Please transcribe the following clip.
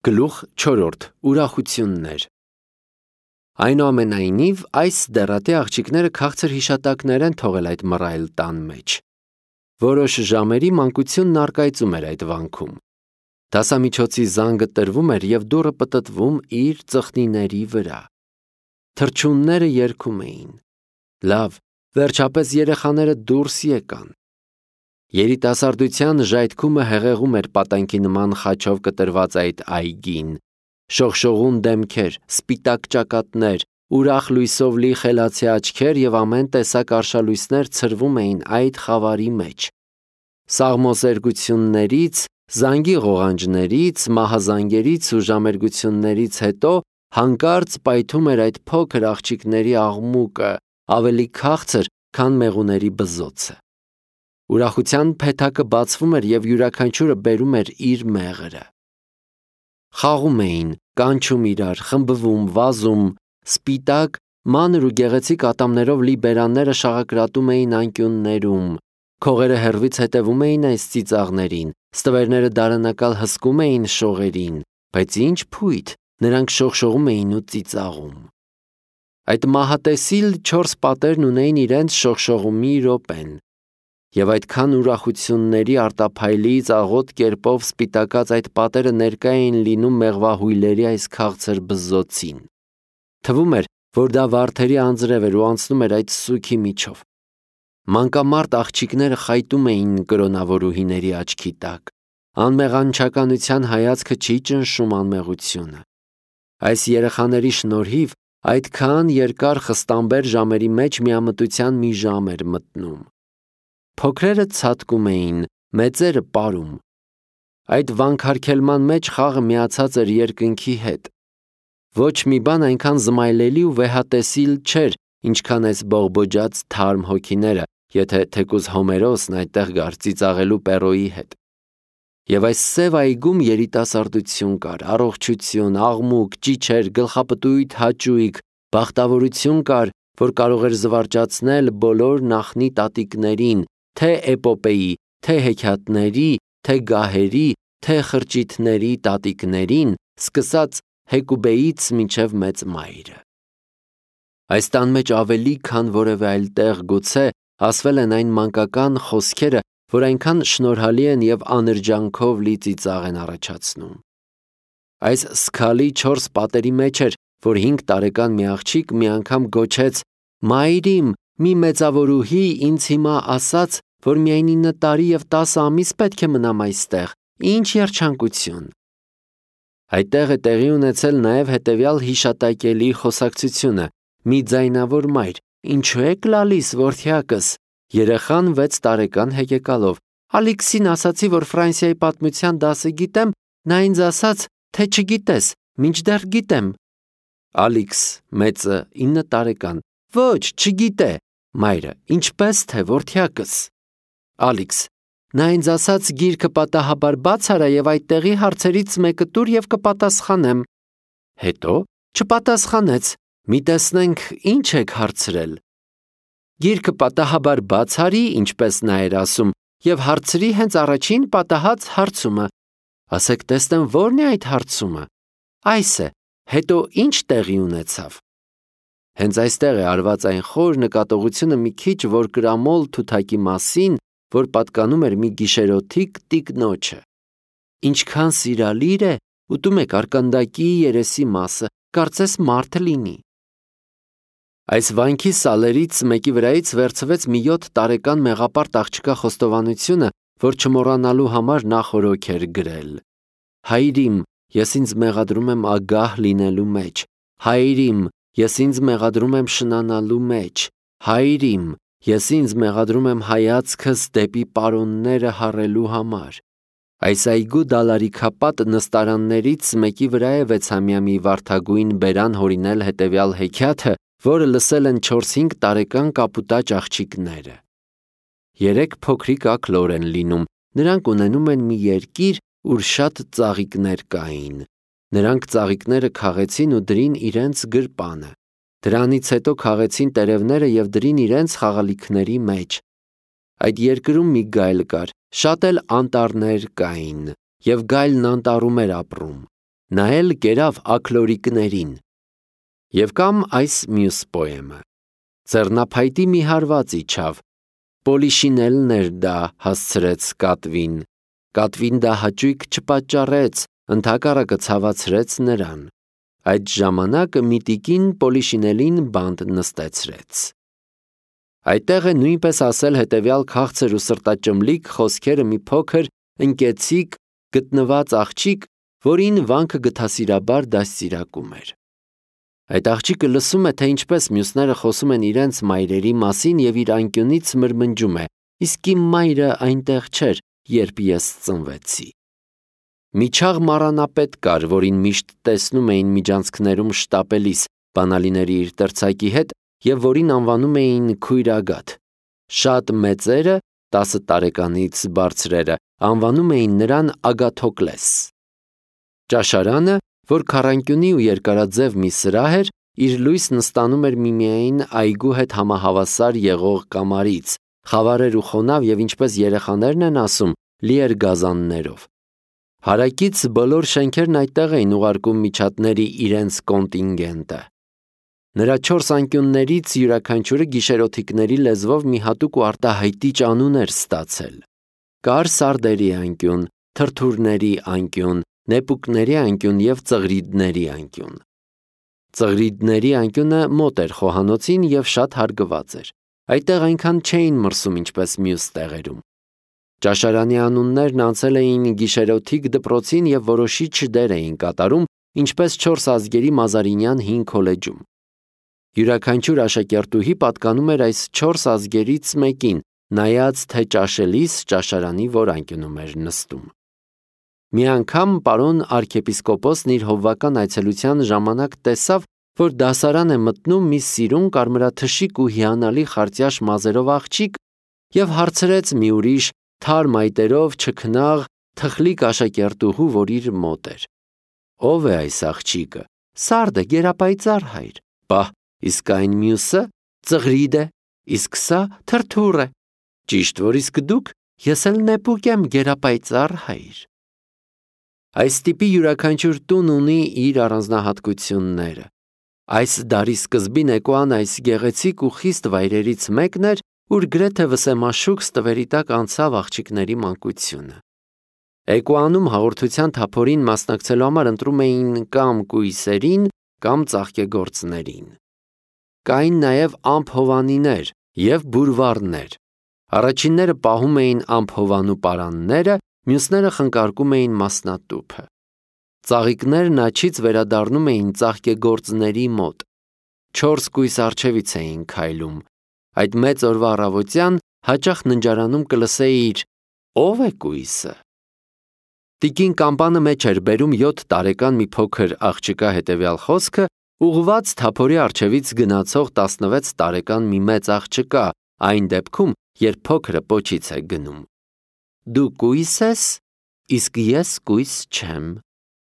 Գլուխ 4. Ուրախություններ։ Այնուամենայնիվ, այս դեռատի աղջիկները քաղցր հիշատակներ են թողել այդ մռայլ տան մեջ։ Որոշ ժամերի մանկությունն առկայծում էր այդ վանքում։ Դասամիջոցի զանգը տրվում էր և դուռը պտտվում իր ծխնիների վրա։ Թռչունները երգում էին։ Լավ, վերջապես երեխաները դուրս եկան։ Երիտասարդության ժայթքումը հեղեղում էր պատանքի նման խաչով կտրված այդ այգին։ Շողշողուն դեմքեր, սպիտակ ճակատներ, ուրախ լույսով լի խելացի աչքեր և ամեն տեսակ արշալույսներ ցրվում էին այդ խավարի մեջ։ Սաղմոսերգություններից, զանգի ղողանջներից, մահազանգերից ու ժամերգություններից հետո հանկարծ պայթում էր այդ փոքր աղջիկների աղմուկը, ավելի քաղցր, քան մեղուների բզզոցը։ Ուրախության փեթակը բացվում էր և յուրաքանչյուրը բերում էր իր մեղրը։ Խաղում էին, կանչում իրար, խմբվում, վազում, սպիտակ, մանր ու գեղեցիկ ատամներով լի բերանները շաղակրատում էին անկյուններում, քողերը հեռվից հետևում էին այս ծիծաղներին, ստվերները դարանակալ հսկում էին շողերին, բայց ինչ փույթ, նրանք շողշողում էին ու ծիծաղում։ Այդ մահատեսիլ 4 պատերն ունեին իրենց շողշողումի րոպեն։ Եվ այդքան ուրախությունների արտափայլից աղոտ կերպով սպիտակած այդ պատերը ներկա էին լինում մեղվահույլերի այս քաղցր բզզոցին։ Թվում էր, որ դա վարդերի անձրև էր ու անցնում էր այդ սուգի միջով։ Մանկամարտ աղջիկները խայտում էին կրոնավորուհիների աչքի տակ։ Անմեղանչականության հայացքը չի ճնշում անմեղությունը։ Այս երեխաների շնորհիվ այդքան երկար խստամբեր ժամերի մեջ միամտության մի ժամ էր մտնում։ Փոքրերը ցատկում էին, մեծերը պարում։ Այդ վանքարգելման մեջ խաղը միացած էր երկնքի հետ։ Ոչ մի բան այնքան զմայլելի ու վեհատեսիլ չէր, ինչքան այս բողբոջած թարմ հոգիները, եթե թեկուզ Հոմերոսն այդտեղ գար ծիծաղելու Պերոյի հետ։ Եվ այս սև այգում երիտասարդություն կար, առողջություն, աղմուկ, ճիչեր, գլխապտույտ, հաճույք, բախտավորություն կար, որ կարող էր զվարճացնել բոլոր նախնի տատիկներին, թե էպոպեի, թե հեքիաթների, թե գահերի, թե խրճիթների տատիկներին, սկսած Հեկուբեից մինչև մեծ մայրը։ Այս տան մեջ ավելի քան որևէ այլ տեղ գուցե ասվել են այն մանկական խոսքերը, որ այնքան շնորհալի են և աներճանքով լի ծիծաղ են առաջացնում։ Այս սքալի 4 պատերի մեջ էր, որ 5 տարեկան մի աղջիկ մի անգամ գոչեց. «Մայրիմ, մի մեծավորուհի ինձ հիմա ասաց, որ միայն 9 տարի և 10 ամիս պետք է մնամ այստեղ, ինչ երջանկություն»։ Այդտեղ է տեղի ունեցել նաև հետևյալ հիշատակելի խոսակցությունը. «Մի ձայնավոր մայր, ինչու եք լալիս, որդյակս»։ Երեխան 6 տարեկան հեկեկալով. «Ալիքսին ասացի, որ Ֆրանսիայի պատմության դասը գիտեմ, նա ինձ ասաց, թե չգիտես, մինչդեռ գիտեմ»։ Ալիքս, մեծը, 9 տարեկան. «Ոչ, չգիտե»։ Մայրը. «Ինչպես թե, որդյակս»։ Ալիքս. «Նա ինձ ասաց գիրքը պատահաբար բաց արա և այդտեղի հարցերից մեկը տուր և կպատասխանեմ»։ Հետո չպատասխանեց։ Մի տեսնենք, ինչ եք հարցրել։ Գիրքը պատահաբար բաց արի, ինչպես նա էր ասում, և հարցրի հենց առաջին պատահած հարցումը։ Ասեք տեսնեմ, ո՞րն է այդ հարցումը։ Այս է, հետո ինչ տեղի ունեցավ։ Հենց այստեղ է արված այն խոր նկատողությունը մի քիչ որ կրամոլ թութակի մասին, որ պատկանում էր մի գիշերօթիկ տիկնոջը։ Ինչքան սիրալիր է, ուտում եք արկանդակի երեսի մասը, կարծես մարդը լինի։ Այս վանքի սալերից մեկի վրայից վերցվեց մի 7 տարեկան մեղապարտ աղջկա խոստովանությունը, որ չմոռանալու համար նա խորհուրդ էր գրել. «Հայրիմ, ես ինձ մեղադրում եմ ագահ լինելու մեջ։ Հայրիմ, ես ինձ մեղադրում եմ շնանալու մեջ։ Հայրիմ, ես ինձ մեղադրում եմ հայացքս դեպի պարոնները հառելու համար»։ Այս այգու դալարիքապատ նստարաններից մեկի վրա է 6-ամյա մի վարդագույն բերան հորինել հետևյալ հեքիաթը, որը լսել են 4-5 տարեկան կապուտաճ աղջիկները։ 3 փոքրիկ աքլոր են լինում, նրանք ունենում են մի երկիր, ուր շատ ծաղիկներ կային։ Նրանք ծաղիկները քաղեցին ու դրին իրենց գրպանը։ Դրանից հետո քաղեցին տերևները և դրին իրենց խաղալիքների մեջ։ Այդ երկրում մի գայլ կար, շատ էլ անտառներ կային, և գայլն անտառում էր ապրում։ նա էլ կերավ աքլորիկներին։ Եվ կամ այս մյուս պոեմը. ձեռնափայտի մի հարված իջավ, պոլիշինելներ դա հասցրեց կատվին, կատվին դա հաճույք չպատճառեց, ընդհակառակը ցավացրեց նրան։ Այդ ժամանակ միտիկին պոլիշինելին բանտ նստեցրեց։ Այդտեղ է նույնպես ասել հետևյալ քաղցր ու սրտաճմլիկ խոսքերը մի փոքր ընկեցիկ գտնված աղջիկ, որին վանքը գթասիրաբար դաստիարակում էր։ Այդ աղջիկը լսում է, թե ինչպես մյուսները խոսում են իրենց մայրերի մասին և իր անկյունից մրմնջում է. իսկ իմ մայրը այնտեղ չէր, երբ ես ծնվեցի։ Մի չաղ մառանապետ կար, որին միշտ տեսնում էին միջանցքներում շտապելիս բանալիների իր տրցակի հետ և որին անվանում էին քույրագաթ։ Շատ մեծերը, 10 տարեկանից բարձրերը, անվանում էին նրան Ագաթոկլես։ Ճաշարանը, որ քառանկյունի ու երկարաձև մի սրահ էր, իր լույսն ստանում էր միմիայն այգու հետ համահավասար եղող կամարից, խավար էր ու խոնավ և ինչպես երեխաներն են ասում, լի էր գազաններով։ Հարակից բոլոր շենքերն այդտեղ էին ուղարկում միջատների իրենց կոնտինգենտը։ Նրա 4 անկյուններից յուրաքանչյուրը գիշերօթիկների լեզվով մի հատուկ ու արտահայտիչ անուն էր ստացել։ Կար սարդերի անկյուն, թրթուրների անկյուն, նեպուկների անկյուն և ծղրիդների անկյուն։ Ծղրիդների անկյունը մոտ էր խոհանոցին և շատ հարգված էր։ Այդտեղ այնքան չէին մրսում, ինչպես մյուս տեղերում։ Ճաշարանի անուններն անցել էին գիշերօթիկ դպրոցին և որոշիչ դեր էին կատարում, ինչպես 4 ազգերի Մազարինյան հին քոլեջում։ Յուրաքանչյուր աշակերտուհի պատկանում էր այս 4 ազգերից մեկին, նայած թե ճաշելիս ճաշարանի որ անկյունում էր նստում։ Մի անգամ պարոն arczepiskopos-ն իր հովվական այցելության ժամանակ տեսավ, որ դասարան է մտնում մի սիրուն կարմրաթշիկ ու հիանալի խարտյաշ մազերով աղջիկ և հարցրեց մի ուրիշ թարմ այտերով չքնաղ թխլիկ աշակերտուհու, որ իր մոտ էր. Ո՞վ է այս աղջիկը։ Սարդը, գերապայծառ հայր։ Պահ, իսկ այն մյուսը ծղրիդ է, իսկ սա թրթուր է։ Ճիշտ որ իսկ դուք, ես էլ նեպուկ եմ, գերապայծառ հայր։ Այս տիպի յուրաքանչյուր տուն ունի իր առանձնահատկությունները։ Այս դարի սկզբին Էկոան այս գեղեցիկ ու խիստ վայրերից մեկն էր, ուր գրեթե վսեմաշուք ստվերի տակ անցավ աղջիկների մանկությունը։ Էկոանում հաղորդության թափորին մասնակցելու համար ընտրում էին կամ կույսերին, կամ ծաղկեգործներին։ Կային նաև ամփհովանիներ և բուրվառներ։ Առաջինները պահում էին ամփհովանու պարանները, մյուսները խնկարկում էին մասնատուփը։ Ծաղիկներն աջից վերադառնում էին ծաղկեգործների մոտ։ 4 կույս առջևից էին քայլում։ Այդ մեծ օրվա առավոտյան հաճախ ննջարանում կլսեիր. ո՞վ է կույսը։ Տիկին Կամպանը մեջ էր բերում 7 տարեկան մի փոքր աղջկա հետևյալ խոսքը, ուղղված թափորի առջևից գնացող 16 տարեկան մի մեծ աղջկա, այն դեպքում, երբ փոքրը պոչից է գնում։ Դու կույս ես, իսկ ես կույս չեմ։